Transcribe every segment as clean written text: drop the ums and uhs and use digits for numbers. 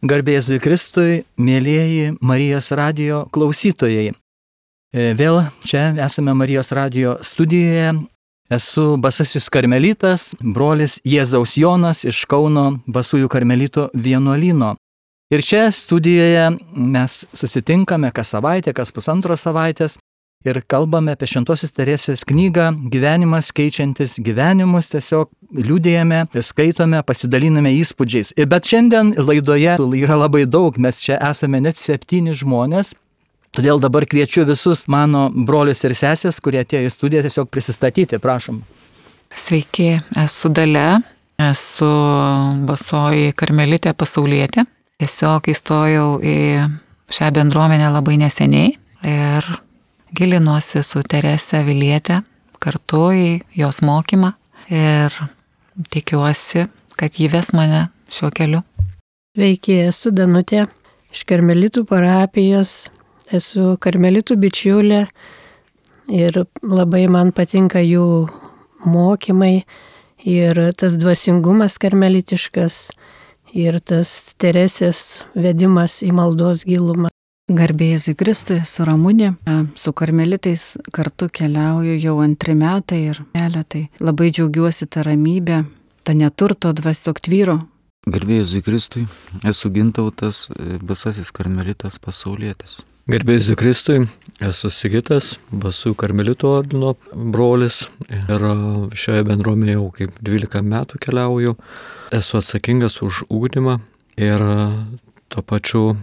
Garbė Jėzui Kristui, mėlyjeji Marijos radijo klausytojai. Vėl čia esame Marijos radijo studijoje. Esu Basasis karmelitas, brolis Jėzaus Jonas iš Kauno Basųjų karmelitų vienuolyno. Ir čia studijoje mes susitinkame kas savaitę, kas pusantros savaitės ir kalbame apie Šventosios Teresės knygą Gyvenimas keičiantis gyvenimus, tiesiog liudijame, skaitome, pasidaliname įspūdžiais. Bet šiandien laidoje yra labai daug, mes čia esame net 7 žmonės, todėl dabar kviečiu visus mano brolius ir sesės, kurie atėjo į studiją, tiesiog prisistatyti, prašom. Sveiki, esu Dalia, esu Basoji karmelitė pasaulietė. Tiesiog įstojau į šią bendruomenę labai neseniai ir gilinuosi su Terese Aviliete kartu į jos mokymą ir tikiuosi, kad ji ves mane šiuo keliu. Sveiki, esu Danutė iš karmelitų parapijos, esu karmelitų bičiulė ir labai man patinka jų mokymai ir tas dvasingumas karmelitiškas ir tas Teresės vedimas į maldos gilumą. Garbė Jėzui Kristui, esu Ramunė, su karmelitais kartu keliauju jau 2 metai ir keletai. Labai džiaugiuosi tą ramybę, tą neturto dvasiok tvyro. Garbė Jėzui Kristui, esu Gintautas, Basasis karmelitas pasaulietis. Garbė Jėzui Kristui, esu Sigitas, Basųjų karmelitų ordino brolis ir šioje bendruomenėje jau kaip 12 metų keliauju. Esu atsakingas už ugdymą ir tuo pačiu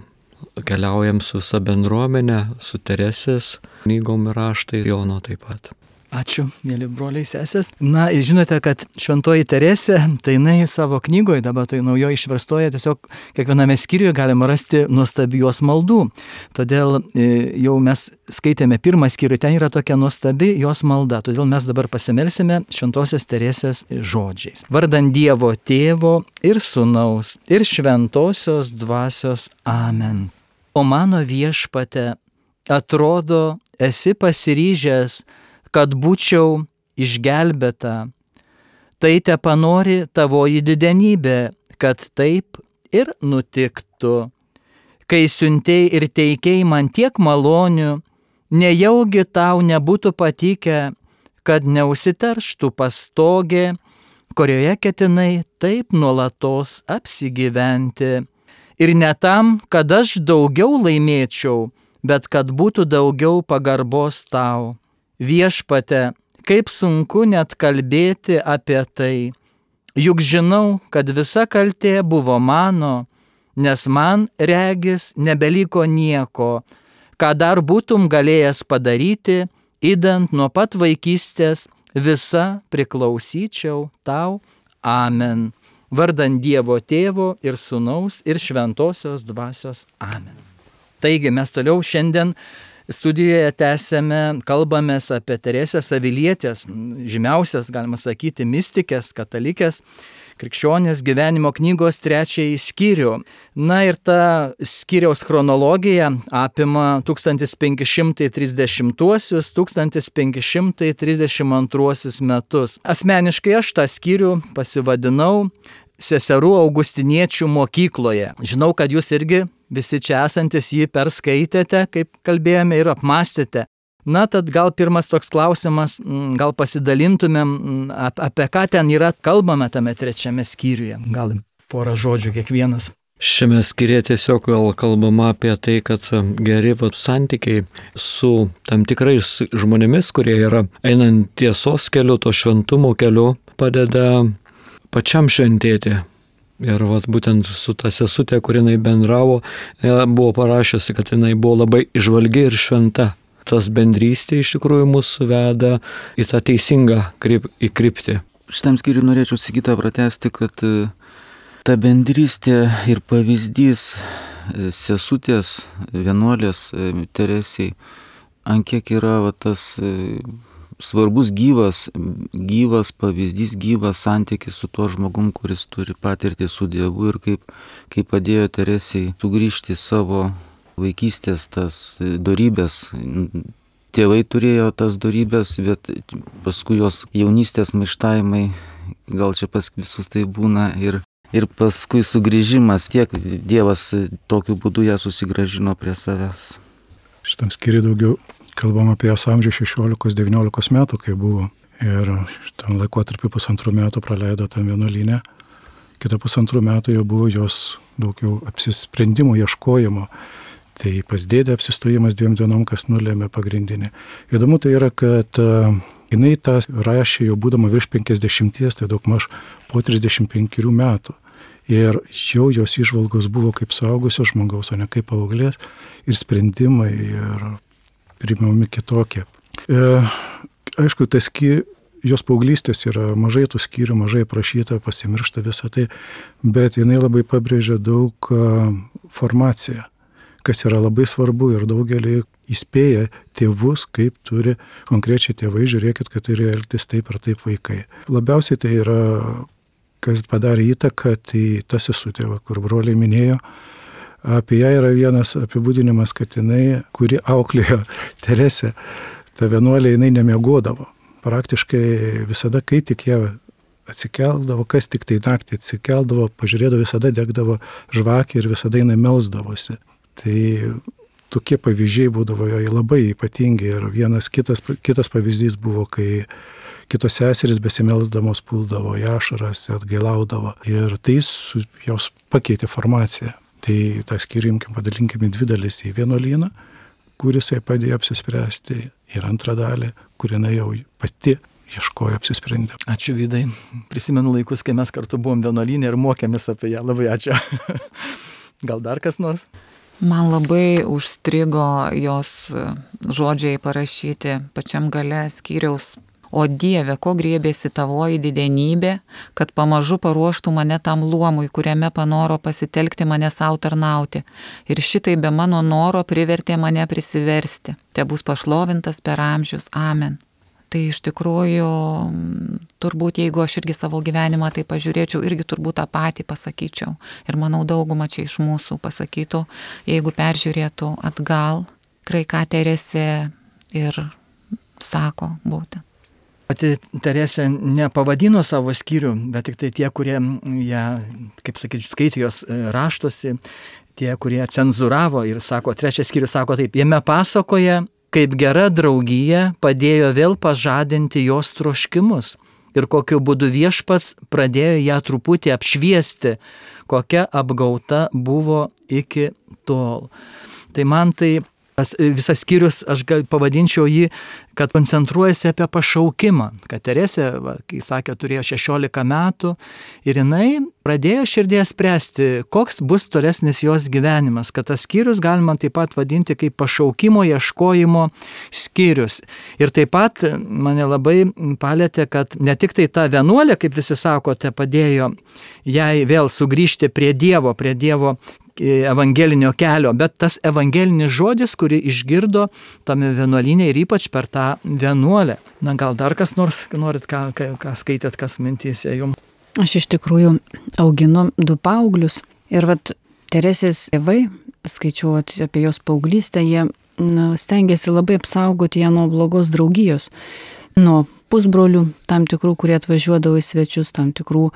keliaujam su visa bendruomenė, su Teresės knygom ir raštai, Jono taip pat. Ačiū, mėly broliai sesės. Na, žinote, kad Šventoji Teresė, tai jinai savo knygoje, dabar tai naujoje išverstoje, tiesiog kiekviename skyriuje galima rasti nuostabių jos maldų. Todėl jau mes skaitėme 1 skyrių, ten yra tokia nuostabi jos malda. Todėl mes dabar pasimelsime Šventosios Teresės žodžiais. Vardan Dievo Tėvo ir Sūnaus ir Šventosios Dvasios. Amen. O mano Viešpate, atrodo, esi pasiryžęs, kad būčiau išgelbėta. Tai tepanori tavoji didenybė, kad taip ir nutiktų. Kai siuntei ir teikei man tiek malonių, nejaugi tau nebūtų patikę, kad neužsiterštų pastogė, kurioje ketinai taip nuolatos apsigyventi. Ir ne tam, kad aš daugiau laimėčiau, bet kad būtų daugiau pagarbos tau. Viešpate, kaip sunku net kalbėti apie tai, juk žinau, kad visa kaltė buvo mano, nes man regis nebeliko nieko, ką dar būtum galėjęs padaryti, idant nuo pat vaikystės visa priklausyčiau tau. Amen. Vardan Dievo Tėvo ir Sūnaus ir Šventosios Dvasios. Amen. Taigi mes toliau šiandien studijoje tęsėme, kalbamės apie Teresės Avilietės, žymiausias, galima sakyti, mistikės, katalikės, krikščionės gyvenimo knygos 3 skyrių. Na ir ta skyriaus chronologija apima 1530-1532 metus. Asmeniškai aš tą skyrių pasivadinau Seserų augustiniečių mokykloje. Žinau, kad jūs irgi visi čia esantis jį perskaitėte, kaip kalbėjome, ir apmastėte. Na, tad gal pirmas toks klausimas, gal pasidalintumėm, apie ką ten yra kalbama tame 3 skyriuje. Gal porą žodžių kiekvienas. Šiame skyriuje tiesiog gal kalbama apie tai, kad geri santykiai su tam tikrais žmonėmis, kurie yra einant tiesos keliu, to šventumo keliu, padeda pačiam šventėti. Ir būtent su ta sesutė, kur jinai bendravo, buvo parašiusi, kad jinai buvo labai įžvalgi ir šventa. Tas bendrystė iš tikrųjų mūsų veda į tą teisingą kryptį. Šitam skyriui norėčiau Sigitą pratęsti, kad ta bendrystė ir pavyzdys sesutės, vienuolės Teresiai, ant kiek yra tas svarbus gyvas pavyzdys, gyvas santykis su tuo žmogum, kuris turi patirtį su Dievu ir kaip padėjo Teresiai sugrįžti savo vaikystės tas dorybės. Tėvai turėjo tas dorybės, bet paskui jos jaunystės maištavimai, gal čia pas visus tai būna ir Ir paskui sugrįžimas, tiek Dievas tokiu būdu ją susigrąžino prie savęs. Šitam skyriui daugiau kalbam apie jos amžių 16-19 metų, kai buvo. Ir šitam laikotarpiu 1,5 metų praleido tam vienuolyne. Kita 1,5 metų jau buvo jos daugiau apsisprendimo, ieškojimo. Tai pas dėdę apsistojimas 2 dienom, kas nulėmė pagrindinį. Įdomu tai yra, kad jinai tą rašė jau būdama virš 50, tai daugmaž po 35 metų. Ir jau jos įžvalgos buvo kaip suaugusio žmogaus, o ne kaip paauglės, ir sprendimai, ir priimami kitokie. Aišku, jos paauglystės yra mažai tų skyrių, mažai prašyta, pasimiršta visą tai, bet jinai labai pabrėžia daug formaciją, kas yra labai svarbu, ir daugelį įspėja tėvus, kaip turi konkrečiai tėvai, žiūrėkit, kad turi elgtis taip ar taip vaikai. Labiausiai tai yra, kas padarė įtaką, tai ta sesutė, kur broliai minėjo. Apie ją yra vienas apibūdinimas, kad jinai, kuri auklėjo Teresę, ta vienuolė, jinai nemiegodavo. Praktiškai visada, kai tik jie atsikeldavo, kas tik tai naktį atsikeldavo, pažiūrėdavo, visada degdavo žvakė ir visada jinai melsdavosi. Tai tokie pavyzdžiai būdavo joje labai ypatingi. Ir vienas kitas pavyzdys buvo, kai kitos seserys besimelsdamos puldavo į ašaras, atgailaudavo. Ir tai jos pakeitė formaciją. Tai tą skyrių padalinkime 2 dalis, į vienuolyną, kuris jai padėjo apsispręsti, ir antrą dalį, kurina jau pati ieškojo apsisprendimo. Ačiū, Vydai. Prisimenu laikus, kai mes kartu buvom vienuolynė ir mokėmės apie ją. Labai ačiū. Gal dar kas nors? Man labai užstrigo jos žodžiai parašyti pačiam gale skyriaus. O Dieve, ko griebėsi tavoji didenybė, kad pamažu paruoštų mane tam luomui, kuriame panoro pasitelkti mane savo tarnauti. Ir šitai be mano noro privertė mane prisiversti. Te bus pašlovintas per amžius. Amen. Tai iš tikrųjų, turbūt jeigu aš irgi savo gyvenimą tai pažiūrėčiau, irgi turbūt tą patį pasakyčiau. Ir manau, dauguma čia iš mūsų pasakytų, jeigu peržiūrėtų atgal, ką Teresė ir sako būtent. Pati Teresė nepavadino savo skyrių, bet tik tai tie, kurie ją, kaip sakyti, skaitė jos raštuose, tie, kurie cenzuravo, ir sako, 3 skyrius sako taip, jame pasakoja, kaip gera draugija padėjo vėl pažadinti jos troškimus ir kokiu būdu viešpats pradėjo ją truputį apšviesti, kokia apgauta buvo iki tol. Tai man tai visas skyrius, aš pavadinčiau jį, kad koncentruojasi apie pašaukimą. Kad Teresė, kai sakė, turėjo 16 metų ir jinai pradėjo širdėje spręsti, koks bus tolesnis jos gyvenimas. Kad tas skyrius galima taip pat vadinti kaip pašaukimo ieškojimo skyrius. Ir taip pat mane labai palėtė, kad ne tik tai ta vienuolė, kaip visi sakote, padėjo jai vėl sugrįžti prie Dievo evangelinio kelio, bet tas evangelinis žodis, kurį išgirdo tame vienuolyne ir ypač per tą vienuolę. Na, gal dar kas nors norit, ką skaitėt, kas mintyse jums? Aš iš tikrųjų auginu 2 paauglius ir Teresės tėvai, skaičiau apie jos paauglystę, jie stengiasi labai apsaugoti ją nuo blogos draugijos, nuo pusbrolių, tam tikrų, kurie atvažiuodavo į svečius, tam tikrų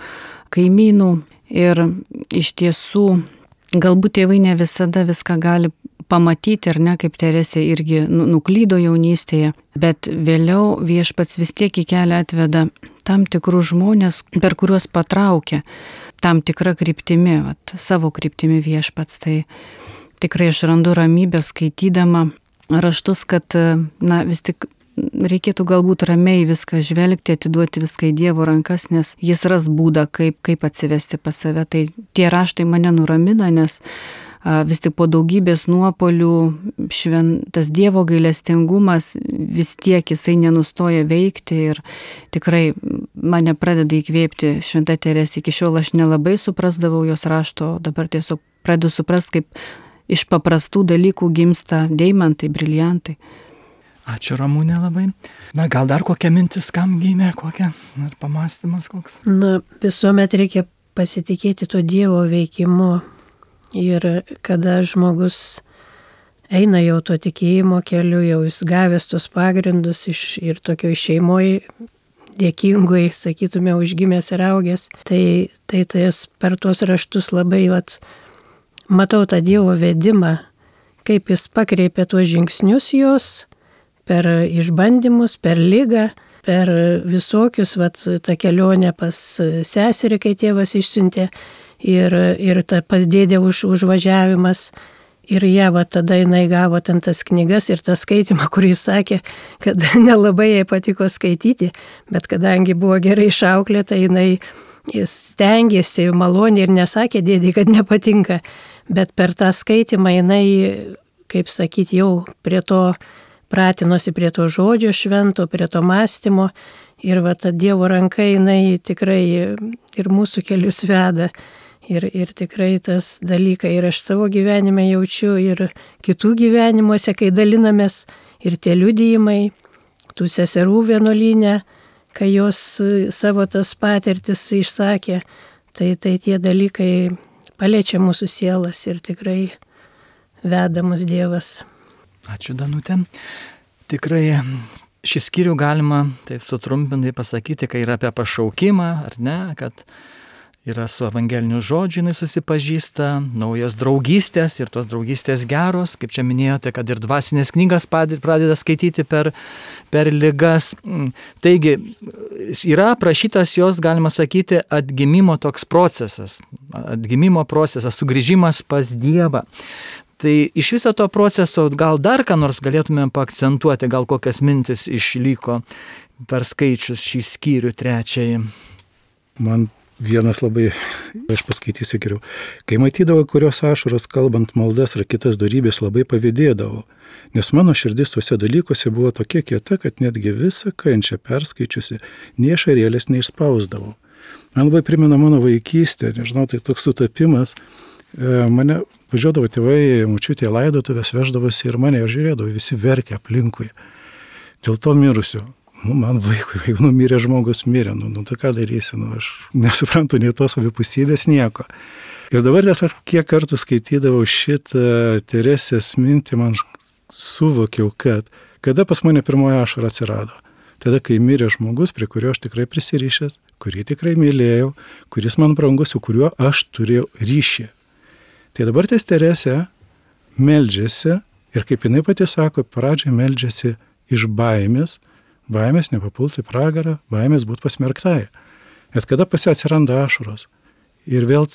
kaimynų. Ir iš tiesų galbūt tėvai ne visada viską gali pamatyti, ar ne, kaip Teresė irgi nuklydo jaunystėje, bet vėliau viešpats vis tiek į kelią atveda tam tikrus žmonės, per kuriuos patraukia tam tikrą kryptimi, savo kryptimi viešpats. Tai tikrai aš randu ramybę skaitydama raštus, kad vis tik reikėtų galbūt ramiai viską žvelgti, atiduoti viską į Dievo rankas, nes jis ras būdą, kaip atsivesti pas save. Tai tie raštai mane nuramina, nes vis tik po daugybės nuopolių tas Dievo gailestingumas vis tiek jisai nenustoja veikti ir tikrai mane pradeda įkvėpti šventa Teresė. Iki šiol aš nelabai suprasdavau jos rašto, dabar tiesiog pradedu suprasti, kaip iš paprastų dalykų gimsta deimantai, briliantai. Ačiū, Ramūnė, labai. Na, gal dar kokia mintis, kam gimė, kokia, ar pamastymas koks? Visuomet reikia pasitikėti to Dievo veikimu. Ir kada žmogus eina jau to tikėjimo keliu, jau jis gavęs tos pagrindus ir tokio šeimoje dėkingui, sakytume, užgimęs ir augęs. Tai per tuos raštus labai matau tą Dievo vedimą, kaip jis pakreipė tuos žingsnius jos per išbandymus, per ligą, per visokius, tą kelionę pas seserį, kai tėvas išsiuntė, ir pas dėdę užvažiavimas. Ir tada jinai gavo ten tas knygas ir tą skaitimą, kurį sakė, kad nelabai jai patiko skaityti, bet kadangi buvo gerai išauklėta, jinai stengėsi maloniai ir nesakė dėdį, kad nepatinka, bet per tą skaitimą jinai, kaip sakyti, jau prie to pratinosi, prie to žodžio švento, prie to mąstymo, ir ta Dievo ranka jinai tikrai ir mūsų kelius veda. Ir tikrai tas dalykai ir aš savo gyvenime jaučiu, ir kitų gyvenimuose, kai dalinamės, ir tie liudijimai, tų seserų vienuolyne, kai jos savo tas patirtis išsakė, tai tie dalykai paliečia mūsų sielas ir tikrai veda mus Dievas. Ačiū, Danutė. Tikrai šį skyrių galima taip sutrumpintai pasakyti, kai yra apie pašaukimą, ar ne, kad yra su evangeliniu žodžiu, jinai susipažįsta, naujos draugystės ir tos draugystės geros, kaip čia minėjote, kad ir dvasinės knygas pradeda skaityti per ligas. Taigi, yra aprašytas jos, galima sakyti, atgimimo toks procesas, sugrįžimas pas Dievą. Tai iš viso to proceso gal dar ką nors galėtumėm paakcentuoti, gal kokias mintis išliko per skaičius šį skyrių 3. Man vienas labai, aš paskaitysiu geriau. Kai matydavau, kurios ašaros kalbant maldas ar kitas dorybės, labai pavydėdavau, nes mano širdis tuose dalykuose buvo tokia kieta, kad netgi visą kančią perskaičiusi, nie ašarėlės neišspausdavau. Man labai primena mano vaikystę, nežinau, tai toks sutapimas. Mane važiuodavo tėvai, močiutė laidotuvės, veždavosi ir mane žiūrėdavo, visi verkia aplinkui. Dėl to mirusio. Man vaikui, jeigu numirė žmogus, mirė, tai ką darysi, aš nesuprantu nei tos abipusybės nieko. Ir dabar tiesiog kiek kartų skaitydavau šitą Teresės mintį, man suvokiau, kad kada pas mane pirmoji ašara atsirado. Tada, kai mirė žmogus, prie kurio aš tikrai prisirišęs, kurį tikrai mylėjau, kuris man brangus, su kuriuo aš turėjau ryšį. Tai dabar ties Teresė meldžiasi ir kaip jinai pati sako, pradžiai meldžiasi iš baimės nepapulti į pragarą, baimės būti pasmerktai. Bet kada pas ją atsiranda ašaros ir vėl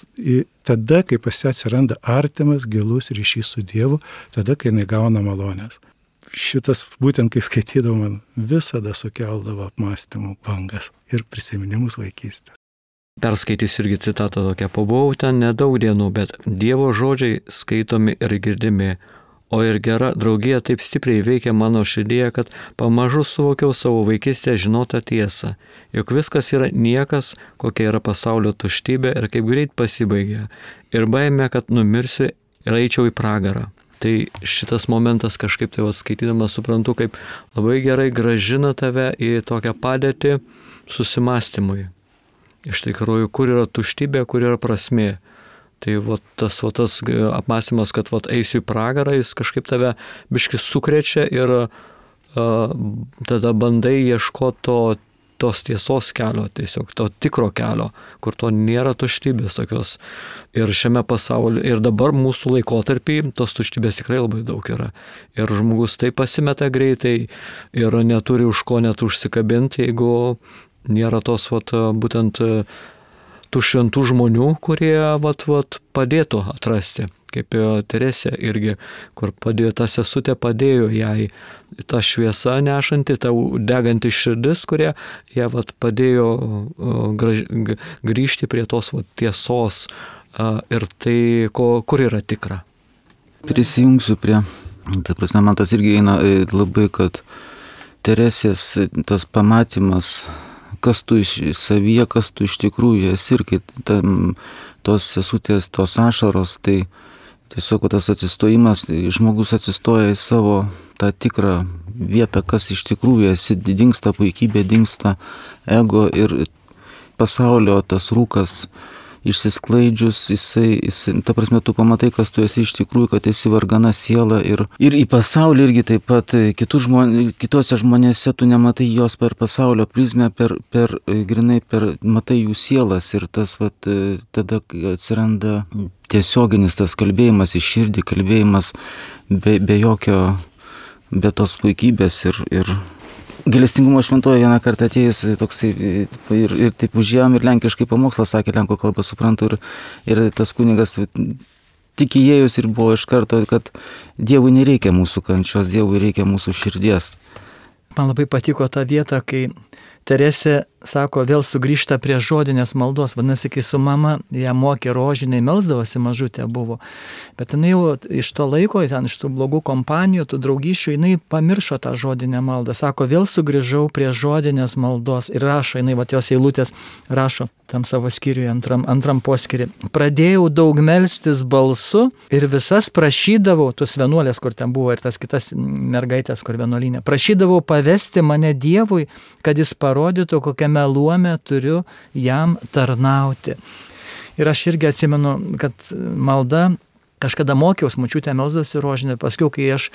tada, kai pas ją atsiranda artimas, gilus ryšys su Dievu, tada, kai jinai gauna malonės. Šitas būtent, kai skaitydavau, man visada sukeldavo apmąstymų bangas ir prisiminimus vaikystės. Perskaitysiu irgi citatą tokią. Pabuvau ten nedaug dienų, bet Dievo žodžiai skaitomi ir girdimi. O ir gera draugija taip stipriai veikia mano širdyje, kad pamažu suvokiau savo vaikystėje žinotą tiesą, jog viskas yra niekas, kokia yra pasaulio tuštybė ir kaip greit pasibaigia, ir baimė, kad numirsiu ir eičiau į pragarą. Tai šitas momentas kažkaip tai skaitydamas suprantu, kaip labai gerai grąžina tave į tokią padėtį susimastymui. Iš tikrųjų, kur yra tuštybė, kur yra prasmė. Tai tas apmąstymas, kad eisiu į pragarą, jis kažkaip tave biškis sukrečia ir tada bandai ieškoti tos tiesos kelio, tiesiog to tikro kelio, kur to nėra tuštybės tokios. Ir šiame pasaulyje, ir dabar mūsų laikotarpį, tos tuštybės tikrai labai daug yra. Ir žmogus tai pasimeta greitai ir neturi už ko net užsikabinti, jeigu nėra tos būtent tų šventų žmonių, kurie padėtų atrasti, kaip Teresė irgi, kur padėjo, ta sesutė padėjo jai, ta šviesa nešanti, ta deganti širdis, kurie ją padėjo grįžti prie tos tiesos ir tai, kur yra tikra. Prisijungsiu prie, man tas irgi eina labai, kad Teresės tas pamatymas, kas tu savyje, kas tu iš tikrųjų esi ir kai tos sesutės, tos ašaros, tai tiesiog tas atsistojimas, žmogus atsistoja į savo tą tikrą vietą, kas iš tikrųjų esi, dingsta puikybė, dingsta ego ir pasaulio tas rūkas išsisklaidžius, jisai, ta prasme, tu pamatai, kas tu esi iš tikrųjų, kad esi vargana siela ir į pasaulį irgi taip pat kitose žmonėse tu nematai jos per pasaulio prizmę, grinai matai jų sielas ir tas tada atsiranda tiesioginis tas kalbėjimas į širdį, kalbėjimas be tos puikybės ir Gailestingumo šventoje vieną kartą atėjus toksai ir taip užėjom ir lenkiškai pamokslą sakė, lenkų kalbą suprantu ir tas kunigas tik įėjus ir buvo iš karto, kad Dievui nereikia mūsų kančios, Dievui reikia mūsų širdies. Man labai patiko ta vieta, kai Teresė sako, vėl sugrįžta prie žodinės maldos. Vadinasi, kai su mama ją mokė rožiniai, melsdavosi, mažutė buvo. Bet jinai jau iš to laiko, iš tų blogų kompanijų, tų draugyšių, jinai pamiršo tą žodinę maldą. Sako, vėl sugrįžau prie žodinės maldos. Ir rašo, jinai, jos eilutės rašo tam savo skyriuje, antram poskyriui. Pradėjau daug melstis balsu ir visas prašydavau, tus vienuolės, kur ten buvo, ir tas kitas mergaitės, kur vienuolinė, prašydavau pavesti mane Dievui, kad jis parodytų, kokiame luome turiu jam tarnauti. Ir aš irgi atsimenu, kad malda, kažkada mokiausi, močiutė melsdavosi rožinį, paskui, kai aš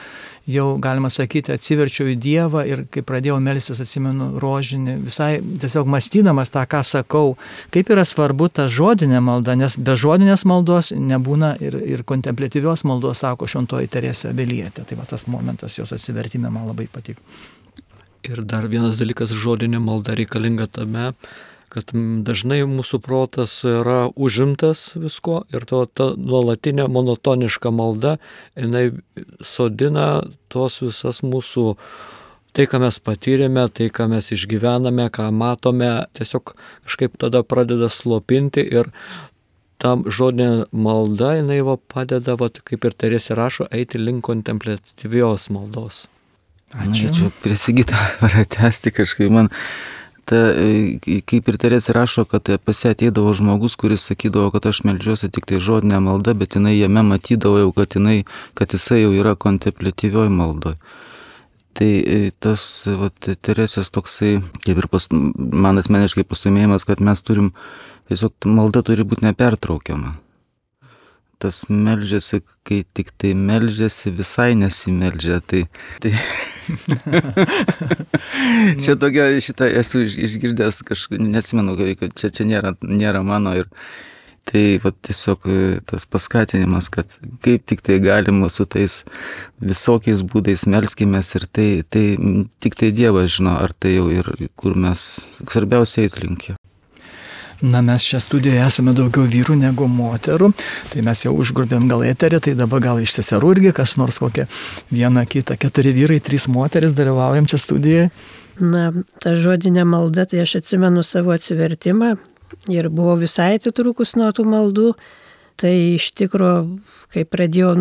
jau, galima sakyti, atsiverčiau į Dievą ir kai pradėjau melstis, atsimenu rožinį, visai tiesiog mąstydamas tą, ką sakau, kaip yra svarbu ta žodinė malda, nes be žodinės maldos nebūna ir kontempliatyvios maldos, sako šventoji Teresė Avilietė. Tai va tas momentas jos atsivertime man labai patiko. Ir dar vienas dalykas, žodinė malda reikalinga tame, kad dažnai mūsų protas yra užimtas visko ir ta nuolatinė monotoniška malda, jinai sodina tos visas mūsų, tai ką mes patyrėme, tai ką mes išgyvename, ką matome, tiesiog kažkaip tada pradeda slopinti ir tam žodinė malda, jinai padeda, kaip ir Teresė rašo, eiti link kontempliatyvios maldos. Ačiū. Čia prie Sigitą pratęsti kažkaip man. Kaip ir Teresė rašo, kad pas ją ateidavo žmogus, kuris sakydavo, kad aš meldžiuosi tik tai žodinę maldą, bet jinai jame matydavo jau, kad jisai jau yra kontempliatyvioj maldoj. Tai tas Teresės toksai, kaip ir man asmeniškai pastumėjimas, kad mes turim, tiesiog malda turi būti nepertraukiama. Tas meldžiasi, kai tik tai meldžiasi, visai nesimeldžia. Tai... čia tokia, šitą esu išgirdęs kažkaip, neatsimenu, kad čia nėra mano ir tai tiesiog tas paskatinimas, kad kaip tik tai galima su tais visokiais būdais melskimės ir tai tik tai Dievas žino, ar tai jau ir kur mes svarbiausiai eit link jo. Na, mes šią studijoje esame daugiau vyrų negu moterų, tai mes jau užgrubėm gal eterį, tai dabar gal iš seserų irgi kas nors kokia viena kita, 4 vyrai, 3 moteris dalyvaujam čia studijoje. Na, ta žodinė malda, tai aš atsimenu savo atsivertimą ir buvau visai atitrūkus nuo tų maldų, tai iš tikro, kai pradėjau,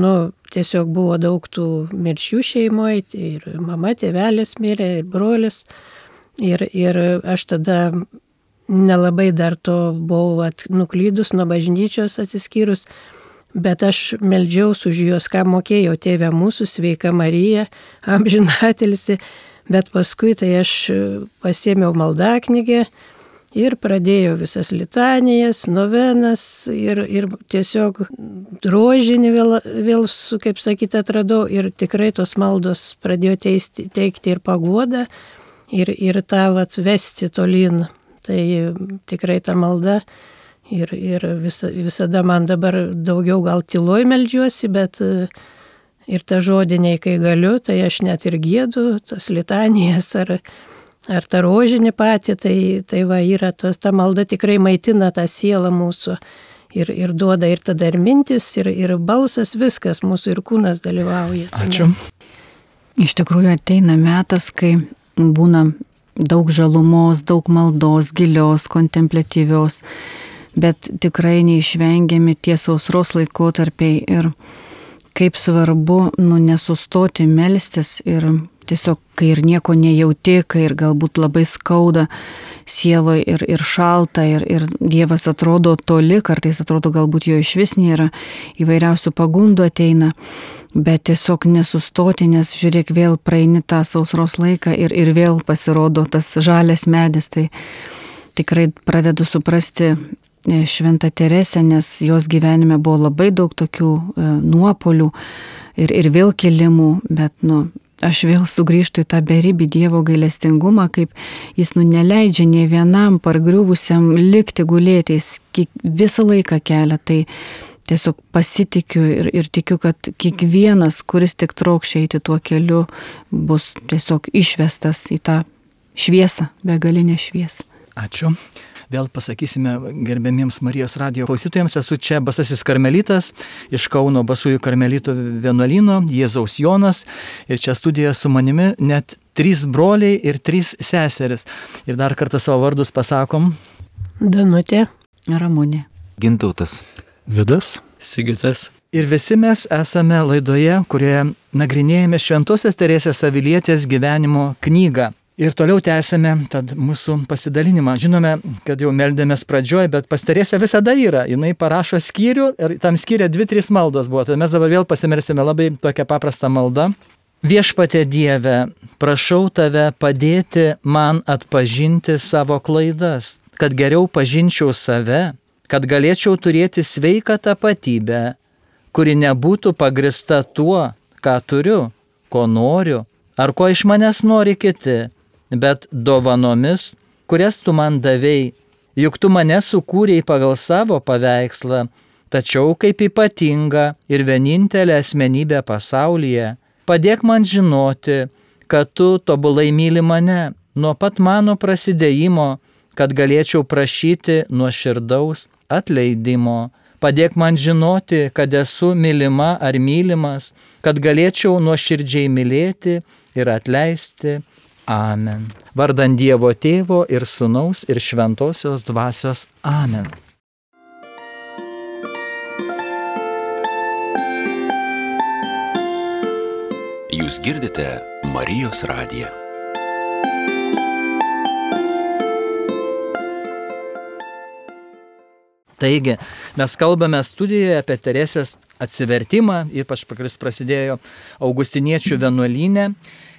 tiesiog buvo daug tų mirčių šeimoje, ir mama, tėvelis mirė, ir brolis, ir aš tada nelabai dar to buvau nuklydus nuo bažnyčios atsiskyrus, bet aš meldžiaus už juos, ką mokėjau, Tėve mūsų, sveika Marija, amžinatilsi, bet paskui tai aš pasiėmiau maldaknygę ir pradėjau visas litanijas, novenas ir tiesiog rožinį vėl kaip sakyti, atradau ir tikrai tos maldos pradėjo teikti ir paguodą ir tą vesti tolyn. Tai tikrai ta malda ir visada man dabar daugiau gal tyloj meldžiuosi, bet ir ta žodiniai, kai galiu, tai aš net ir giedu, tas litanijas ar tą rožinį patį, tai yra ta malda tikrai maitina tą sielą mūsų ir duoda ir tada ir mintis, ir balsas, viskas, mūsų ir kūnas dalyvauja. Ačiū. Iš tikrųjų ateina metas, kai būna daug žalumos, daug maldos, gilios, kontempliatyvios, bet tikrai neišvengiami tie sausros laikotarpiai ir kaip svarbu nesustoti melstis ir tiesiog, kai ir nieko nejauti, kai ir galbūt labai skauda sieloje ir šalta ir Dievas atrodo toli, kartais atrodo galbūt jo iš vis nėra, įvairiausių pagundų ateina, bet tiesiog nesustoti, nes žiūrėk, vėl praeini tą sausros laiką ir vėl pasirodo tas žalias medis, tai tikrai pradedu suprasti Šventą Teresę, nes jos gyvenime buvo labai daug tokių nuopolių ir vėl kilimų, bet aš vėl sugrįžtu į tą beribį Dievo gailestingumą, kaip jis neleidžia nei vienam pargriuvusiam likti gulėti, jis visą laiką kelia. Tai tiesiog pasitikiu ir tikiu, kad kiekvienas, kuris tik trokšia eiti tuo keliu, bus tiesiog išvestas į tą šviesą, begalinę šviesą. Ačiū. Vėl pasakysime gerbėmiems Marijos radijo klausytojams, esu čia Basasis Karmelitas iš Kauno Basųjų Karmelitų vienuolyno, Jėzaus Jonas, ir čia studijoje su manimi net 3 broliai ir 3 seseris. Ir dar kartą savo vardus pasakom. Danutė. Ramunė. Gintautas. Vidas. Sigitas. Ir visi mes esame laidoje, kurioje nagrinėjame Šventosios Teresės Avilietės gyvenimo knygą. Ir toliau tęsime tad mūsų pasidalinimą. Žinome, kad jau meldėmės pradžioj, bet pas Teresę visada yra. Jinai parašo skyrių ir tam skyrė 2-3 maldos buvo. Tai mes dabar vėl pasimersime labai tokią paprastą maldą. Viešpatie Dieve, prašau tave padėti man atpažinti savo klaidas, kad geriau pažinčiau save, kad galėčiau turėti sveiką tapatybę, kuri nebūtų pagrista tuo, ką turiu, ko noriu, ar ko iš manęs nori kiti, bet dovanomis, kurias tu man davei, juk tu mane sukūrei pagal savo paveikslą, tačiau kaip ypatingą ir vienintelę asmenybę pasaulyje, padėk man žinoti, kad tu tobulai myli mane nuo pat mano prasidėjimo, kad galėčiau prašyti nuoširdaus atleidimo. Padėk man žinoti, kad esu mylima ar mylimas, kad galėčiau nuoširdžiai mylėti ir atleisti. Amen. Vardant Dievo Tėvo ir Sūnaus ir Šventosios Dvasios. Amen. Jūs girdite Marijos radiją. Taigi, mes kalbame studijoje apie Teresės atsivertimą, ypač kuris prasidėjo augustiniečių vienuolyne.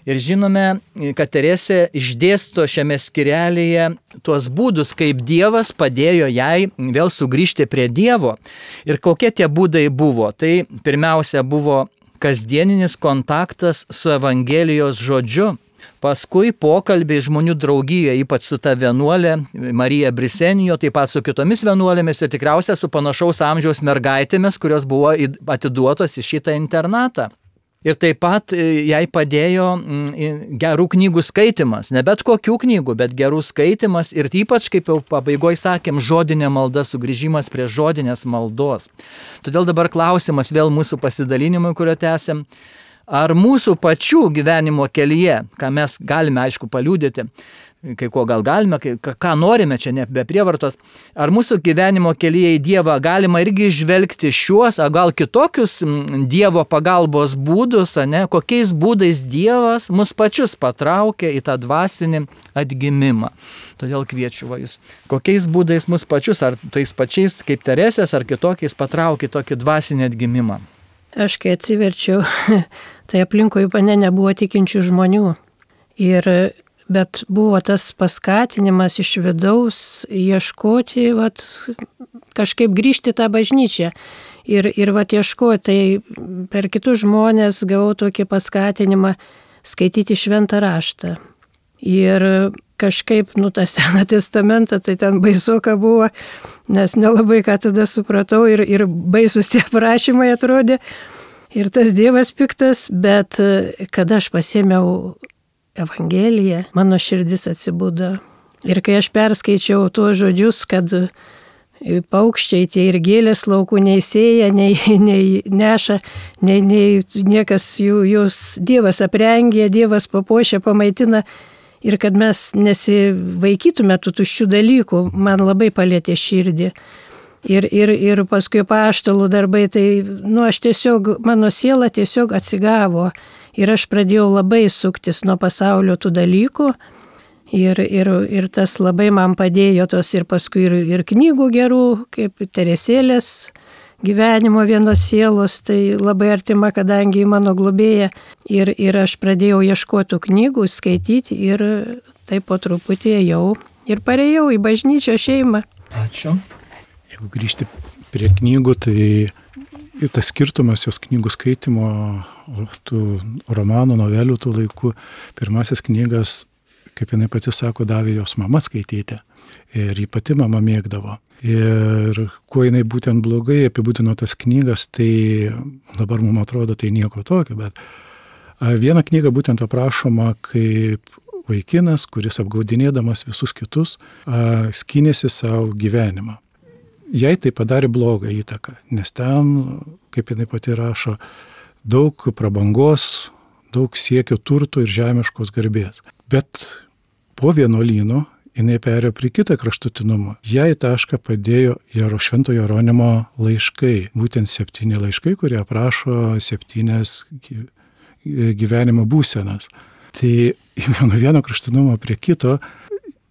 Ir žinome, kad Teresė išdėsto šiame skyrelyje tuos būdus, kaip Dievas padėjo jai vėl sugrįžti prie Dievo. Ir kokie tie būdai buvo? Tai pirmiausia buvo kasdieninis kontaktas su Evangelijos žodžiu. Paskui pokalbiai žmonių draugijoje, ypač su ta vienuolė Marija Brisenijo, taip pat su kitomis vienuolėmis ir tikriausiai su panašaus amžiaus mergaitėmis, kurios buvo atiduotos į šitą internatą. Ir taip pat jai padėjo gerų knygų skaitimas, ne bet kokių knygų, bet gerų skaitimas ir ypač, kaip jau pabaigoje sakėm, žodinė malda, sugrįžimas prie žodinės maldos. Todėl dabar klausimas vėl mūsų pasidalinimui, kurio tęsiam. Ar mūsų pačių gyvenimo kelyje, ką mes galime aišku paliudyti, kai ko gal galime, ką norime čia ne be prievartos, ar mūsų gyvenimo kelyje į Dievą galima irgi žvelgti šiuos, o gal kitokius Dievo pagalbos būdus, kokiais būdais Dievas mus pačius patraukia į tą dvasinį atgimimą. Todėl kviečiu jūs, kokiais būdais mus pačius, ar tais pačiais kaip Teresės, ar kitokiais patraukia tokį dvasinį atgimimą. Aš kai atsiverčiau, tai aplinkui mane nebuvo tikinčių žmonių. Bet buvo tas paskatinimas iš vidaus ieškoti, kažkaip grįžti tą bažnyčią. Ir ieškoti, tai per kitus žmonės gavau tokį paskatinimą skaityti Šventą raštą. Ir kažkaip, tą Seną testamentą, tai ten baisoka buvo, nes nelabai ką tada supratau ir baisus tie prašymai atrodė. Ir tas Dievas piktas, bet kada aš pasėmiau Evangeliją, mano širdis atsibudo. Ir kai aš perskaičiau tuos žodžius, kad paukščiai tie ir gėlės laukų nei sėja, nei neša, nei niekas jūs Dievas aprengė, Dievas papuošia, pamaitina. Ir kad mes nesivaikytume tų tuščių dalykų, man labai palėtė širdį. Ir paskui apaštalų darbai, tai aš tiesiog, mano siela tiesiog atsigavo. Ir aš pradėjau labai suktis nuo pasaulio tų dalykų. Ir tas labai man padėjo tos ir paskui ir knygų gerų, kaip Teresėlės gyvenimo vienos sielos, tai labai artima, kadangi mano globėja. Ir aš pradėjau ieškoti knygų, skaityti ir taip po truputį ėjau ir parėjau į bažnyčios šeimą. Ačiū. jeigu grįžti prie knygų, tai tas skirtumas jos knygų skaitimo, tų romanų, novelių tų laikų, pirmasis knygas, kaip jinai pati sako, davė jos mama skaityti. Ir jį pati mama mėgdavo. Ir kuo jinai būtent blogai apibūdino tas knygas, tai dabar mums atrodo tai nieko tokio, bet viena knyga būtent aprašoma kaip vaikinas, kuris apgaudinėdamas visus kitus, skynėsi savo gyvenimą. Jai tai padarė blogą įtaką, nes ten, kaip jinai pati rašo, daug prabangos, daug siekio turtų ir žemiškos garbės. Bet po vienuolyno jinai perėjo prie kitą kraštutinumą. Jai tašką padėjo Švento Jeronimo laiškai, būtent 7 laiškai, kurie aprašo 7 gyvenimo būsenas. Tai nuo vieno kraštutinumo prie kito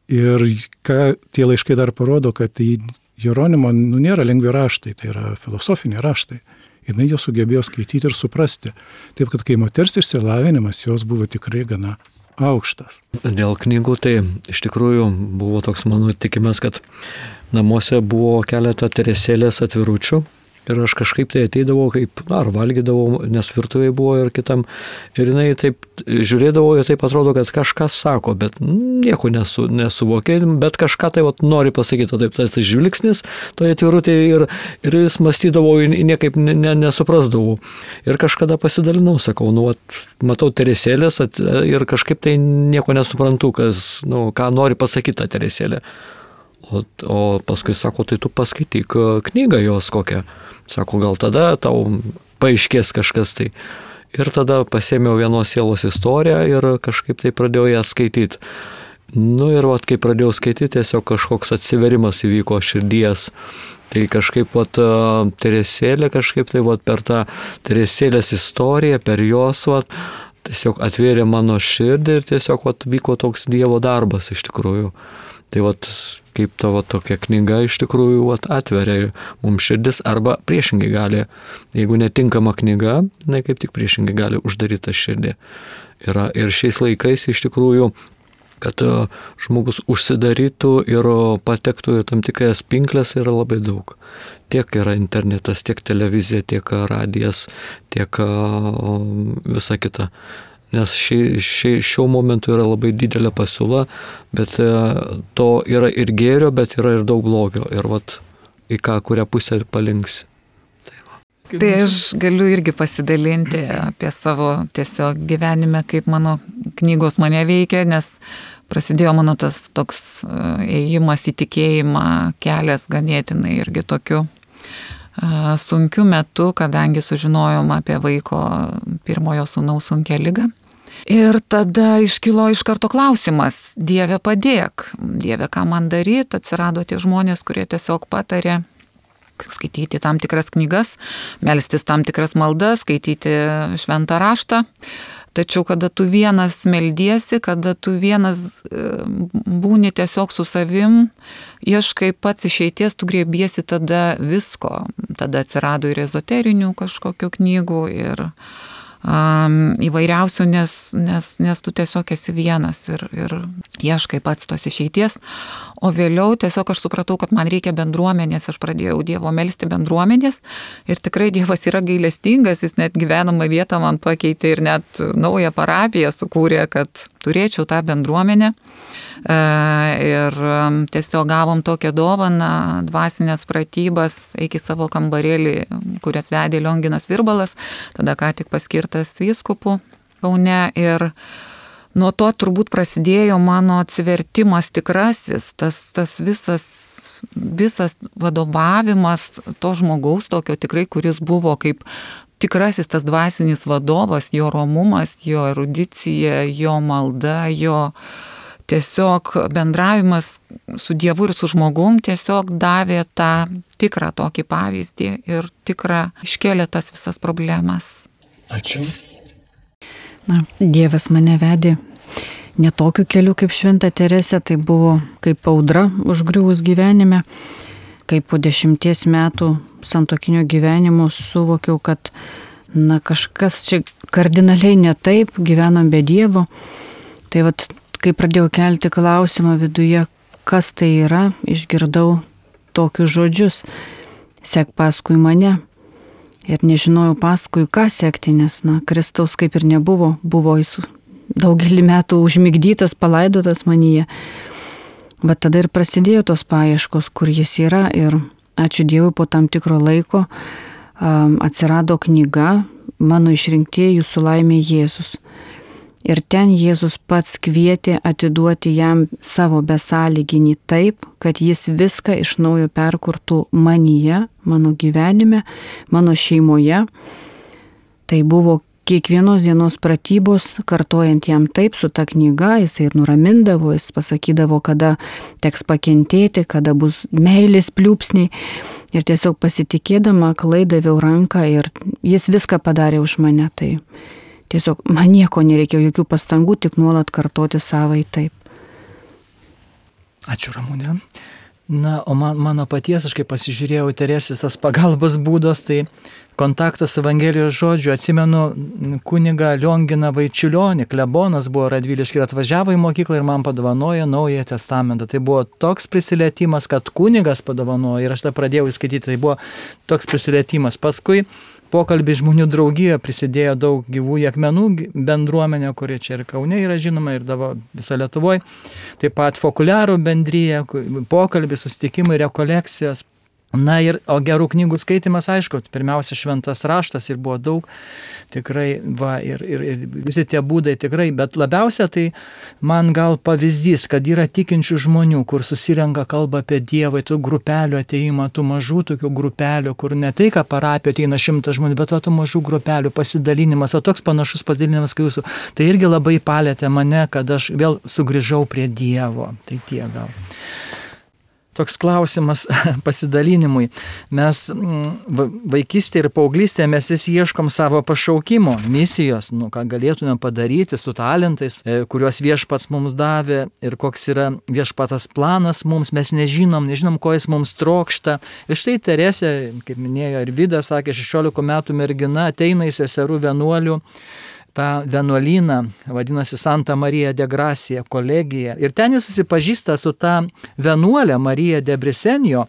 ir ką tie laiškai dar parodo, kad tai Jeronimo nėra lengvi raštai, tai yra filosofiniai raštai. Jinai jo sugebėjo skaityti ir suprasti. Taip, kad kai moters išsilavinimas jos buvo tikrai gana aukštas. Dėl knygų tai iš tikrųjų buvo toks mano tikimas, kad namuose buvo keletą Teresėlės atviručių ir aš kažkaip tai ateidavau, kaip, ar valgydavau, nes virtuvėje buvo ir kitam. Ir jinai taip žiūrėdavo ir taip atrodo, kad kažkas sako, bet nieko nesuvokė, bet kažką tai nori pasakyti, taip tas žvilgsnis toje atvirutėje ir jis mąstydavo, niekaip nesuprasdavau. Ir kažkada pasidalinau, sakau, matau Teresėlės ir kažkaip tai nieko nesuprantu, ką nori pasakyti ta Teresėlė. O paskui sako, tai tu paskaityk knygą jos kokią. Sako, gal tada tau paaiškės kažkas tai. Ir tada pasėmiau vienos sielos istoriją ir kažkaip tai pradėjau ją skaityti. Ir kai pradėjau skaityti, tiesiog kažkoks atsiverimas įvyko širdies. Tai kažkaip Teresėlė, kažkaip tai per tą Teresėlės istoriją, per jos tiesiog atvėrė mano širdį ir tiesiog vyko toks Dievo darbas iš tikrųjų. Tai kaip tavo tokia knyga iš tikrųjų atveria mums širdis arba priešingai gali, jeigu netinkama knyga, kaip tik priešingai gali uždaryti tą širdį. Ir šiais laikais iš tikrųjų, kad žmogus užsidarytų ir patektų į tam tikras pinkles yra labai daug. Tiek yra internetas, tiek televizija, tiek radijas, tiek visa kita. Nes šiuo momentu yra labai didelė pasiūla, bet to yra ir gėrio, bet yra ir daug blogio. Ir į kurią pusę palinksi. Tai aš galiu irgi pasidalinti apie savo tiesiog gyvenime, kaip mano knygos mane veikia, nes prasidėjo mano tas toks ėjimas į tikėjimą, kelias ganėtinai irgi tokiu sunkiu metu, kadangi sužinojom apie vaiko pirmojo sūnaus sunkią ligą. Ir tada iškilo iš karto klausimas, Dieve padėk, Dieve ką man daryti, atsirado tie žmonės, kurie tiesiog patarė skaityti tam tikras knygas, melstis tam tikras maldas, skaityti šventą raštą. Tačiau kada tu vienas meldiesi, kada tu vienas būni tiesiog su savim, ieškai pats išeities, tu griebiesi tada visko. Tada atsirado ir ezoterinių kažkokių knygų ir įvairiausių, nes tu tiesiog esi vienas ir ieškai pats tos išeities. O vėliau tiesiog aš supratau, kad man reikia bendruomenės, aš pradėjau Dievo melsti bendruomenės ir tikrai Dievas yra gailestingas, jis net gyvenamą vietą man pakeitė ir net naują parapiją sukūrė, kad turėčiau tą bendruomenę. Ir tiesiog gavom tokią dovaną, dvasinės pratybas, iki savo kambarėlį, kurias vedė Lionginas Virbalas, tada ką tik paskirtas vyskupu Kaune. Ir nuo to turbūt prasidėjo mano atsivertimas tikrasis, tas visas vadovavimas to žmogaus tokio tikrai, kuris buvo kaip tikrasis tas dvasinis vadovas, jo romumas, jo erudicija, jo malda, jo tiesiog bendravimas su Dievu ir su žmogum tiesiog davė tą tikrą tokį pavyzdį ir tikrą iškėlė tas visas problemas. Ačiū. Dievas mane vedė ne tokiu keliu kaip Šventa Teresė, tai buvo kaip audra užgriuvus gyvenime, kai po 10 metų santuokinio gyvenimo suvokiau, kad kažkas čia kardinaliai ne taip, gyvenom be Dievo. Tai kai pradėjau kelti klausimą viduje, kas tai yra, išgirdau tokius žodžius: sek paskui mane. Ir nežinojau paskui ką sekti, nes, Kristaus kaip ir nebuvo, buvo jis daugelį metų užmigdytas, palaidotas manyje. Bet tada ir prasidėjo tos paieškos, kur jis yra, ir ačiū Dievui, po tam tikro laiko atsirado knyga Mano išrinktieji, jūsų laimė Jėzus. Ir ten Jėzus pats kvietė atiduoti jam savo besąlyginį taip, kad jis viską iš naujo perkurtų manyje, mano gyvenime, mano šeimoje. Tai buvo kiekvienos dienos pratybos, kartojant jam taip su ta knyga, jisai ir nuramindavo, jis pasakydavo, kada teks pakentėti, kada bus meilės pliūpsniai. Ir tiesiog pasitikėdama aklai daviau ranką ir jis viską padarė už mane. Tai tiesiog man nieko nereikėjo, jokių pastangų, tik nuolat kartoti savai taip. Ačiū, Ramūnė. O mano paties, aš kai pasižiūrėjau Teresės tas pagalbos būdos, tai kontaktas Evangelijos žodžiu, atsimenu kunigą Lionginą Vaičiulionį, klebonas buvo Radvilišky ir atvažiavo į mokyklą ir man padovanojo Naująjį testamentą. Tai buvo toks prisilietimas, kad kunigas padovanojo ir aš tą pradėjau įskaityti, tai buvo toks prisilietimas. Paskui pokalbį žmonių draugijoje prisidėjo daug gyvųjų akmenų bendruomenė, kuri čia ir Kaune yra žinoma, ir viso Lietuvoje. Taip pat fokuliarų bendryje, pokalbį, susitikimai, rekolekcijos. O gerų knygų skaitimas, aišku, pirmiausia šventas raštas ir buvo daug, tikrai, ir visi tie būdai tikrai, bet labiausia tai man gal pavyzdys, kad yra tikinčių žmonių, kur susirenka kalba apie Dievą, tų grupelių ateimą, tų mažų tokių grupelių, kur ne tai, ką parapijo ateina 100 žmonių, bet tų mažų grupelių pasidalinimas, o toks panašus pasidalinimas kaip jūsų, tai irgi labai palėtė mane, kad aš vėl sugrįžau prie Dievo. Tai tiek gal. Toks klausimas pasidalinimui. Mes vaikystėje ir paauglystėje mes vis ieškom savo pašaukimo, misijos, ką galėtume padaryti su talentais, kuriuos viešpats mums davė ir koks yra viešpatas planas mums, mes nežinom, ko jis mums trokšta. Ir štai Teresė, kaip minėjo ir Vidas, sakė, 16 metų mergina ateina į seserų vienuolių tą vienuolyną, vadinasi Santa Marija de Gracia kolegija. Ir ten jis susipažįsta su tą vienuolę Marija de Brisenio.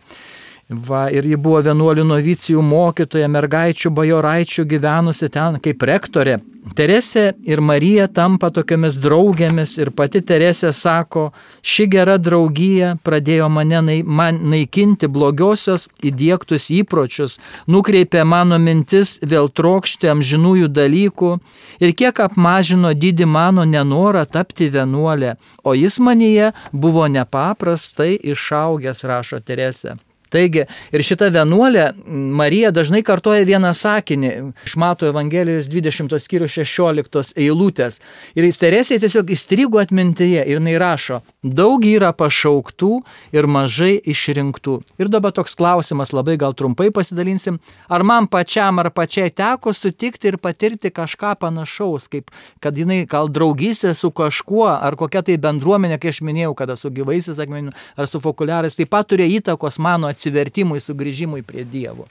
Ir ji buvo vienuolių novicijų mokytoja, mergaičių, bajoraičių gyvenusi ten kaip rektorė. Teresė ir Marija tampa tokiamis draugėmis ir pati Teresė sako, ši gera draugija pradėjo man naikinti blogiosios įdiegtus įpročius, nukreipė mano mintis vėl trokšti amžinųjų dalykų ir kiek apmažino didį mano nenorą tapti vienuolė, o jis manyje buvo nepaprastai išaugęs, rašo Teresė. Taigi, ir šita vienuolė Marija dažnai kartoja vieną sakinį iš Mato Evangelijos 20 skyrius 16 eilutės. Ir Teresė tiesiog įstrigo atmintyje ir jinai rašo, daug yra pašauktų ir mažai išrinktų. Ir dabar toks klausimas, labai gal trumpai pasidalinsim, ar man pačiam ar pačiai teko sutikti ir patirti kažką panašaus, kaip kad jinai gal draugystė su kažkuo, ar kokia tai bendruomenė, kai aš minėjau, kada su gyvaisiais akmeniu ar su fokuliarais, taip pat turėjo įtakos mano atsivertimui, sugrįžimui prie Dievo.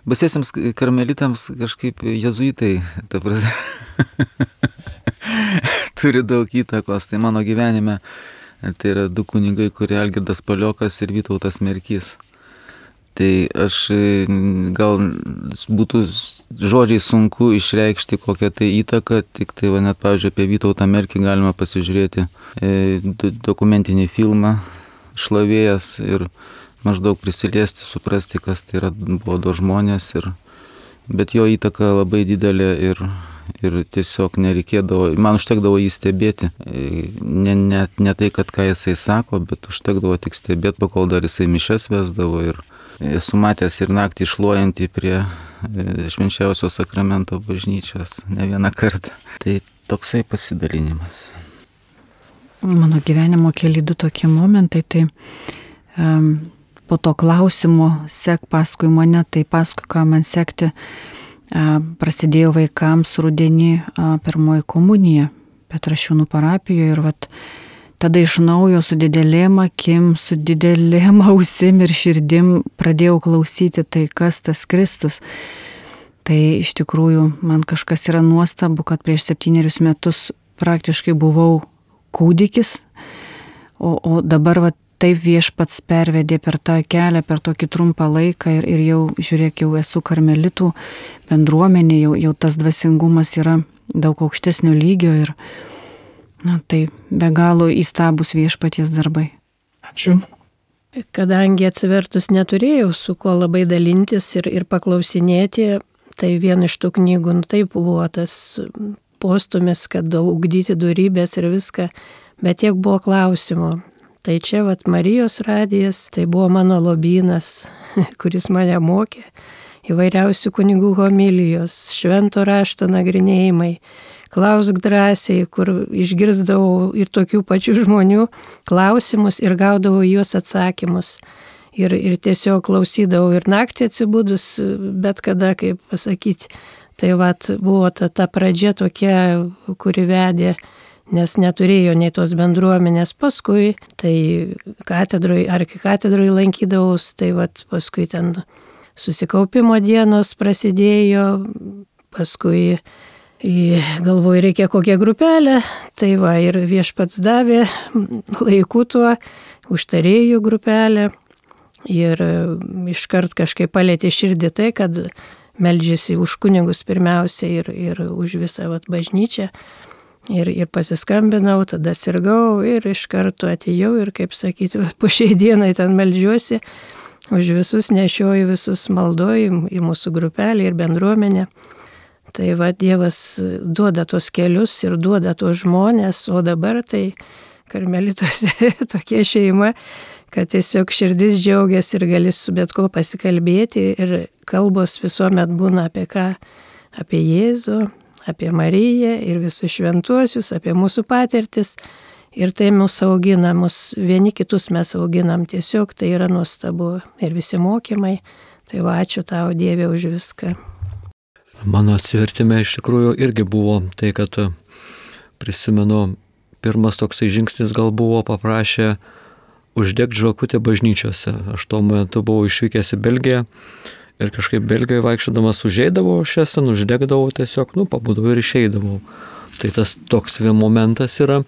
Basiesiams karmelitams kažkaip jezuitai, ta prasme, turi daug įtakos. Tai mano gyvenime tai yra 2 kunigai, kurie Algirdas Paliokas ir Vytautas Merkys. Tai aš gal būtų žodžiai sunku išreikšti kokią tai įtaką, tik tai net, pavyzdžiui, apie Vytautą Merkį galima pasižiūrėti dokumentinį filmą Šlavėjas ir maždaug prisiliesti, suprasti, kas tai buvo 2 žmonės, bet jo įtaka labai didelė ir tiesiog nereikėdavo, man užtekdavo jį stebėti, ne tai, kad ką jisai sako, bet užtekdavo tik stebėti, kol dar jisai mišias vesdavo ir esu matęs ir naktį šluojantį prie švenčiausio sakramento bažnyčios ne vieną kartą. Tai toksai pasidalinimas. Mano gyvenimo keli 2 tokie momentai, tai po to klausimo sek paskui mane, tai paskui ką man sekti, prasidėjo vaikams rudenį pirmoji komunija Petrašiūnų parapijoje ir tada iš naujo su didelėm akim, su didelėm ausim ir širdim pradėjau klausyti tai, kas tas Kristus. Tai iš tikrųjų man kažkas yra nuostabu, kad prieš 7 metus praktiškai buvau kūdikis, o dabar taip Viešpats pervedė per tą kelią, per tokį trumpą laiką ir jau, žiūrėk, jau esu karmelitų bendruomenė, jau tas dvasingumas yra daug aukštesnio lygio ir tai be galo įstabus Viešpaties darbai. Ačiū. Kadangi atsivertus neturėjau su kuo labai dalintis ir paklausinėti, tai viena iš tų knygų, taip buvo tas postumis, kad ugdyti dorybės ir viską, bet tiek buvo klausimų. Tai čia Marijos radijas, tai buvo mano lobynas, kuris mane mokė, įvairiausių kunigų homilijos, švento rašto nagrinėjimai, klausk drąsiai, kur išgirsdavau ir tokių pačių žmonių klausimus ir gaudavau juos atsakymus. Ir tiesiog klausydavau ir naktį atsibudus, bet kada, kaip pasakyti. Tai buvo ta pradžia tokia, kuri vedė, nes neturėjo nei tos bendruomenės. Paskui, tai arkikatedroj lankydavaus, tai paskui ten susikaupimo dienos prasidėjo, paskui galvoju, reikia kokią grupelę, tai ir Viešpats davė laikų tuo, užtarėjų grupelę. Ir iškart kažkaip palėtė širdį tai, kad meldžiasi už kunigus pirmiausia ir už visą bažnyčią. Ir pasiskambinau, tada sirgau ir iš karto atėjau ir, kaip sakyti, po šiai dienai ten meldžiuosi, už visus nešioju, visus maldoju į mūsų grupelį ir bendruomenę. Tai Dievas duoda tos kelius ir duoda tos žmonės, o dabar tai karmelituose tokia šeima, kad tiesiog širdis džiaugiasi ir gali su bet ko pasikalbėti ir kalbos visuomet būna apie ką, apie Jėzų, apie Mariją ir visus šventuosius, apie mūsų patirtis. Ir tai mus augina, vieni kitus mes auginam, tiesiog tai yra nuostabu ir visi mokymai. Tai ačiū tau, Dieve, už viską. Mano atsivertime iš tikrųjų irgi buvo tai, kad prisimenu, pirmas toksai žingsnis gal buvo, paprašė uždegti žvakutę bažnyčiose. Aš tuo metu buvau išvykęs į Belgiją ir kažkaip Belgijoje vaikščiodamas užeidavau, šias ten uždegdavau tiesiog, pabudau ir išeidavau. Tai tas toks momentas yra.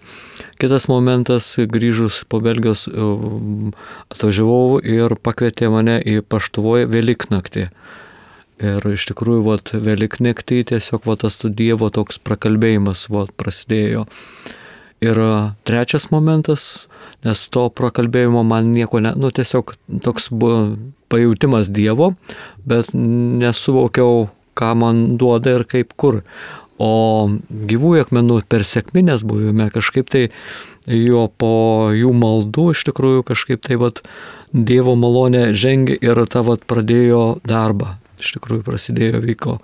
Kitas momentas, grįžus po Belgijos, atvažiavau ir pakvietė mane į Paštuvoje Velyknaktį. Ir iš tikrųjų, Velyknaktį tiesiog tas Dievo toks prakalbėjimas prasidėjo. Ir trečias momentas, nes to prakalbėjimo man nieko tiesiog toks buvo pajautimas Dievo, bet nesuvokiau, ką man duoda ir kaip kur. O gyvųjų akmenų per sekminės buvime kažkaip tai po jų maldų iš tikrųjų kažkaip tai Dievo malonė žengė ir pradėjo darbą. Iš tikrųjų vyko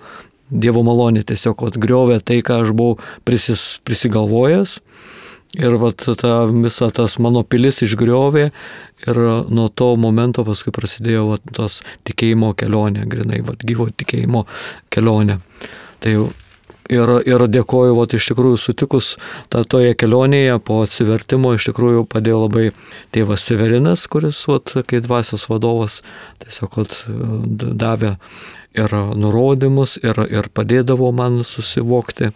Dievo malonė, tiesiog griovė tai, ką aš buvau prisigalvojęs. Ir visa tas mano pilis išgriovė ir nuo to momento paskui prasidėjo tos tikėjimo kelionė, grinai gyvo tikėjimo kelionė. Tai ir dėkoju, iš tikrųjų sutikus toje kelionėje po atsivertimo iš tikrųjų padėjo labai tėvas Severinas, kuris kaip dvasios vadovas tiesiog davė ir nurodymus ir padėdavo man susivokti.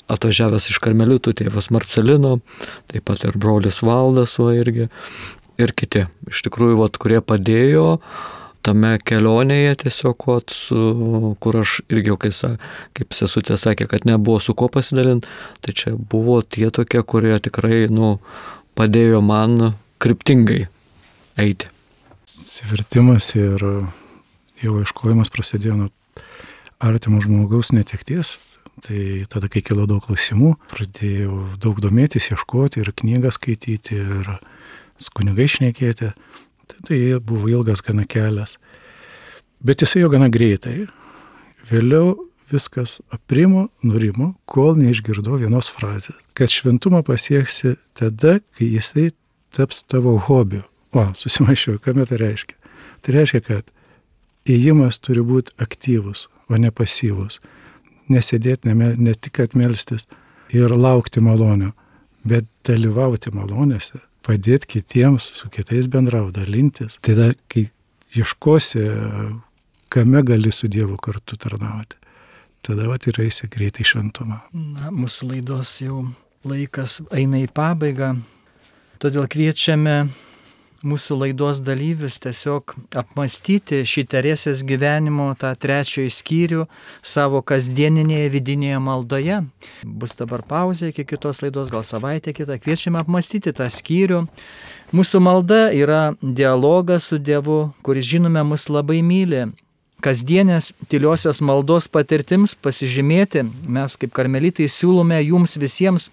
Atvažiavęs iš karmelitų tėvas Marcelino, taip pat ir brolis Valdas irgi, ir kiti. Iš tikrųjų, kurie padėjo tame kelionėje tiesiog, kur aš irgi, kaip sesutė sakė, kad nebuvo su kuo pasidalinti, tai čia buvo tie tokie, kurie tikrai padėjo man kryptingai eiti. Atsivertimas ir Dievo ieškojimas prasidėjo nuo artimo žmogaus netekties. Tai tada, kai kilo daug klausimų, pradėjau daug domėtis, ieškoti ir knygą skaityti, ir su kunigai šnekėti. Tai buvo ilgas gana kelias. Bet jisai jo gana greitai. Vėliau viskas aprimo, nurimo, kol neišgirdau vienos frazės, kad šventumą pasieksi tada, kai jisai taps tavo hobiu. Susimaišiau, ką tai reiškia? Tai reiškia, kad ėjimas turi būti aktyvus, o ne pasyvus. Nesėdėti, ne tik atmelstis ir laukti malonio, bet dalyvauti malonėse, padėti kitiems, su kitais bendrauti, dalintis. Tada, kai ieškosi, kame gali su Dievu kartu tarnauti, tada ir eisi greitai šventumą. Mūsų laidos jau laikas eina į pabaigą, todėl kviečiame mūsų laidos dalyvius tiesiog apmastyti šį Teresės gyvenimo tą 3 skyrių savo kasdieninėje vidinėje maldoje. Bus dabar pauzė iki kitos laidos, gal savaitę kitą. Kviečiame apmastyti tą skyrių. Mūsų malda yra dialogas su Dievu, kuris žinome mus labai myli. Kasdienės tyliosios maldos patirtims pasižymėti mes kaip karmelitai siūlome jums visiems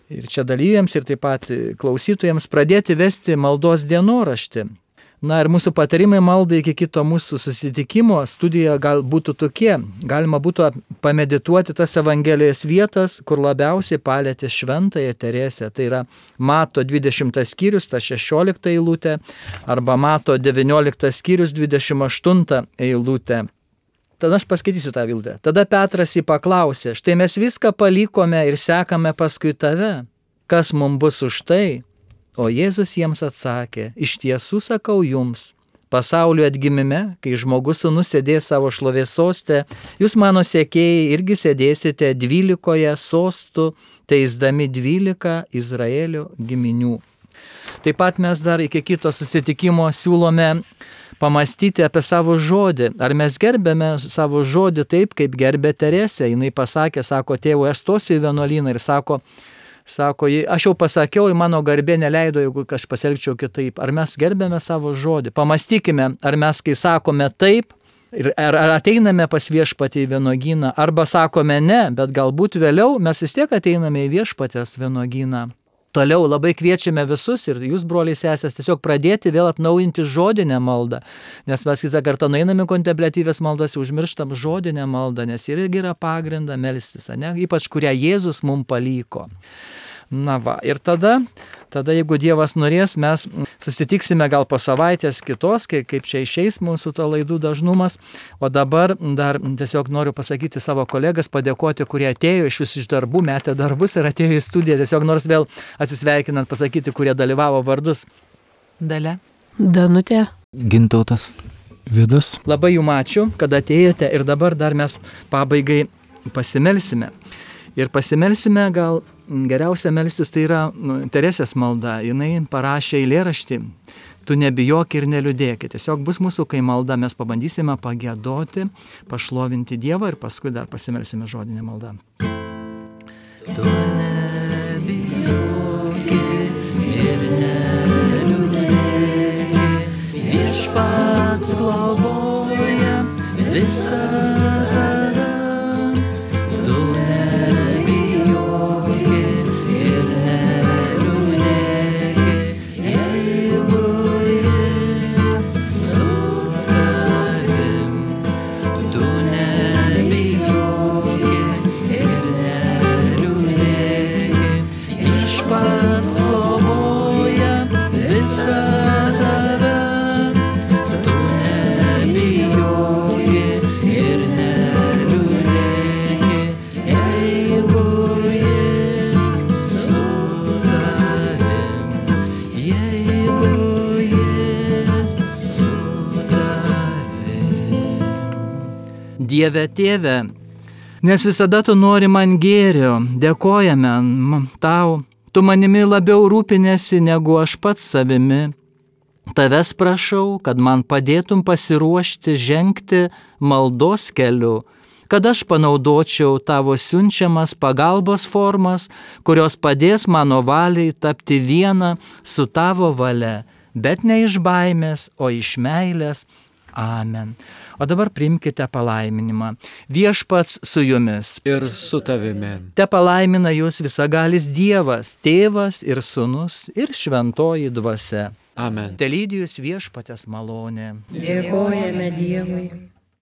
ir čia dalyviams, ir taip pat klausytojams pradėti vesti maldos dienoraštį. Na ir mūsų patarimai maldai iki kito mūsų susitikimo studijoje gal būtų tokie. Galima būtų pamedituoti tas Evangelijos vietas, kur labiausiai palietė šventąją Teresę. Tai yra Mato 20 skyrius, ta 16 eilutė, arba Mato 19 skyrius, 28 eilutė. Tada aš paskaitysiu tą eilutę. Tada Petras jį paklausė, štai mes viską palikome ir sekame paskui tave. Kas mums bus už tai? O Jėzus jiems atsakė, iš tiesų sakau jums, pasaulio atgimime, kai žmogus sūnus sėdės savo šlovės soste, jūs mano sekėjai irgi sėdėsite 12 sostų, teisdami 12 Izraelio giminių. Taip pat mes dar iki kito susitikimo siūlome pamastyti apie savo žodį. Ar mes gerbėme savo žodį taip, kaip gerbė Teresė? Jis pasakė, sako, tėvui, aš stosiu į vienuolyną ir sako, aš jau pasakiau, į mano garbė neleido, jeigu aš pasielgčiau kitaip. Ar mes gerbėme savo žodį? Pamastykime, ar mes, kai sakome taip, ar ateiname pas viešpatį į vynuogyną, arba sakome ne, bet galbūt vėliau mes vis tiek ateiname į viešpatės vynuogyną. Toliau labai kviečiame visus ir jūs, broliai sesės, tiesiog pradėti vėl atnaujinti žodinę maldą, nes mes kitą kartą nueiname kontempliatyvės maldas, užmirštam žodinę maldą, nes irgi yra pagrinda melstis, ne? Ypač kurią Jėzus mums paliko. Na va, ir tada, jeigu Dievas norės, mes susitiksime gal po savaitės kitos, kaip čia išeis mūsų to laidų dažnumas. O dabar dar tiesiog noriu pasakyti savo kolegas, padėkoti, kurie atėjo iš darbų, metė darbus ir atėjo į studiją. Tiesiog nors vėl atsisveikinant pasakyti, kurie dalyvavo vardus. Dalia. Danutė. Gintautas. Vidas. Labai jums ačiū, kad atėjote ir dabar dar mes pabaigai pasimelsime. Ir pasimelsime gal geriausia melstis tai yra Teresės malda. Jinai parašė eilėraštį, tu nebijok ir neliūdėk. Tiesiog bus mūsų, kai malda, mes pabandysime pagiedoti, pašlovinti Dievą ir paskui dar pasimelsime žodinę maldą. Tu nebijok ir neliūdėk, viešpats globoja visą tave. Tu nebijok ir neliūdėk, jeigu jis su tavim. Tu nebijok ir neliūdėk, viešpats globoja visą tave. Tu nebijok ir neliūdėk, jeigu jis su tavim. Jeigu jis su tavim. Dieve tėve, nes visada tu nori man gėrio, dėkojame tau, tu manimi labiau rūpinėsi negu aš pats savimi. Tavęs prašau, kad man padėtum pasiruošti žengti maldos keliu, kad aš panaudočiau tavo siunčiamas pagalbos formas, kurios padės mano valiai tapti viena su tavo valia, bet ne iš baimės, o iš meilės. Amen. O dabar priimkite palaiminimą. Viešpats su jumis. Ir su tavimi. Te palaimina jūs visagalis Dievas, Tėvas ir Sūnus ir Šventoji Dvasia. Amen. Te lydi jūs viešpatės malonė. Dėkojame Dievui.